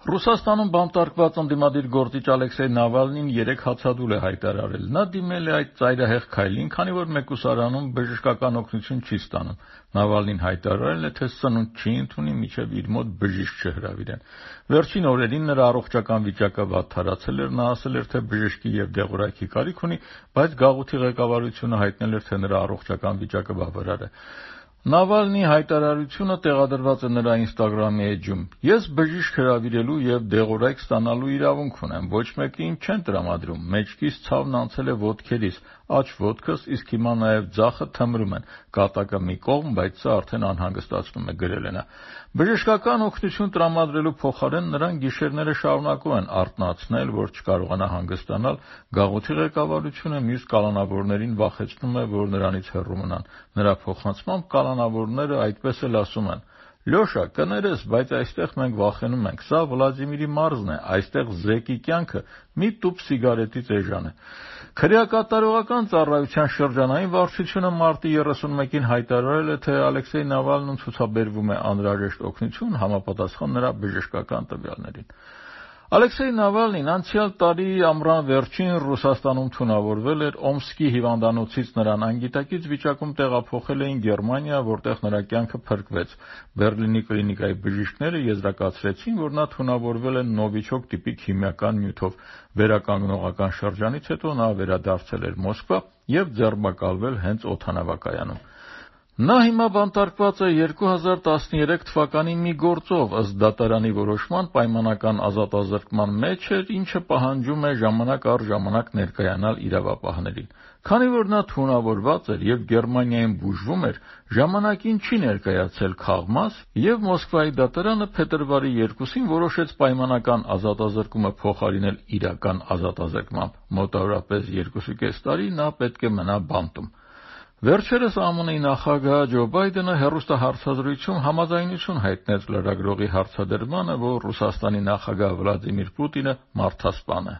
Ռուսաստանում բանտարկված ընդդիմադիր գործիչ Ալեքսեյ Նավալնին 3 հացադուլ է հայտարարել։ Նա դիմել է այդ ծայրահեղ քայլին, քանի որ մեկուսարանում բժշկական օգնություն չի ստանում։ Նավալնին հայտարարել է, թե սնունդ չի ընդունի, մինչև իր մոտ բժիշկ չհրավիրեն։ Վերջին օրերին նրա առողջական վիճակը վատթարացել էր, նա ասել էր, թե բժշկի եւ դեղորայքի կարիք ունի, բայց գաղութի ղեկավարությունը հայտնել էր, թե նրա առողջական վիճակը բավարար է։ Նավալնի հայտարարությունը տեղադրված է նրա Instagram էջում։ Ես բժիշկ հրավիրելու եւ դեղորայք ստանալու իրավունք ունեմ, ոչ մեկին չեն տրամադրում, մեջքից ցավն անցել է ոտքերիս, աջ ոտքս, իսկ հիմա նաեւ ձախը թմրում են, կատակը մի կողմ, բայց սա արդեն անհանգստացնում է, գրել է նա։ Բժշկական օգնություն տրամադրելու փոխարեն նրան գիշերները շարունակում են արթնացնել, որ չկարողանա հանգստանալ, գաղութի ղեկավարությունը մյուս կալանավորներին վախեցնում է, որ նրանից հեռու մնան։ Նրա փոխանցմամբ կալանավորները այդպես էլ ասում են. Լյոշա, կներես, բայց այստեղ մենք վախենում ենք, սա Վլադիմիրի մարզն է, այստեղ զեկի կյանքը մի տուփ սիգարետից էժան է։ Քրեակատարողական ծառայության շրջանային վարչությունը մարտի 31-ին հայտարարել է, թե Ալեքսեյ Նավալնուն ցուցաբերվում է անհրաժեշտ օգնություն համապատասխան նրա բժշկական տվյալներին։ Ալեքսեյ Նավալնին անցյալ տարի ամռան վերջին Ռուսաստանում թունավորվել էր, Օմսկի հիվանդանոցից նրան անգիտակից վիճակում տեղափոխել էին Գերմանիա, որտեղ նրա կյանքը փրկվեց։ Բեռլինի կլինիկայի բժիշկները եզրակացրեցին, որ նա թունավորվել է նովիչոկ տիպի քիմիական նյութով։ Վերականգնողական շրջանից հետո նա վերադարձել էր Մոսկվա եւ ձերբակալվել հենց օդանավակայանում։ Նա հիմա բանտարկված է 2013 թվականի մի գործով, ըստ դատարանի որոշման պայմանական ազատազրկման մեջ էր, ինչը պահանջում է ժամանակ առ ժամանակ ներկայանալ իրավապահներին։ Քանի որ նա թունավորված էր եւ Գերմանիայում բուժվում էր, ժամանակին չի ներկայացել քաղմաս եւ Մոսկվայի դատարանը փետրվարի 2-ին որոշեց պայմանական ազատազրկումը փոխարինել իրական ազատազրկմամբ։ Մոտավորապես 2.5 տարի նա պետք է մնա բանտում։ Վերջերս ԱՄՆ-ի նախագահ Ջո Բայդենը հեռուստահարցազրույցում համաձայնություն հայտնեց լրագրողի հարցադրմանը, որ Ռուսաստանի նախագահ Վլադիմիր Պուտինը մարդասպան է։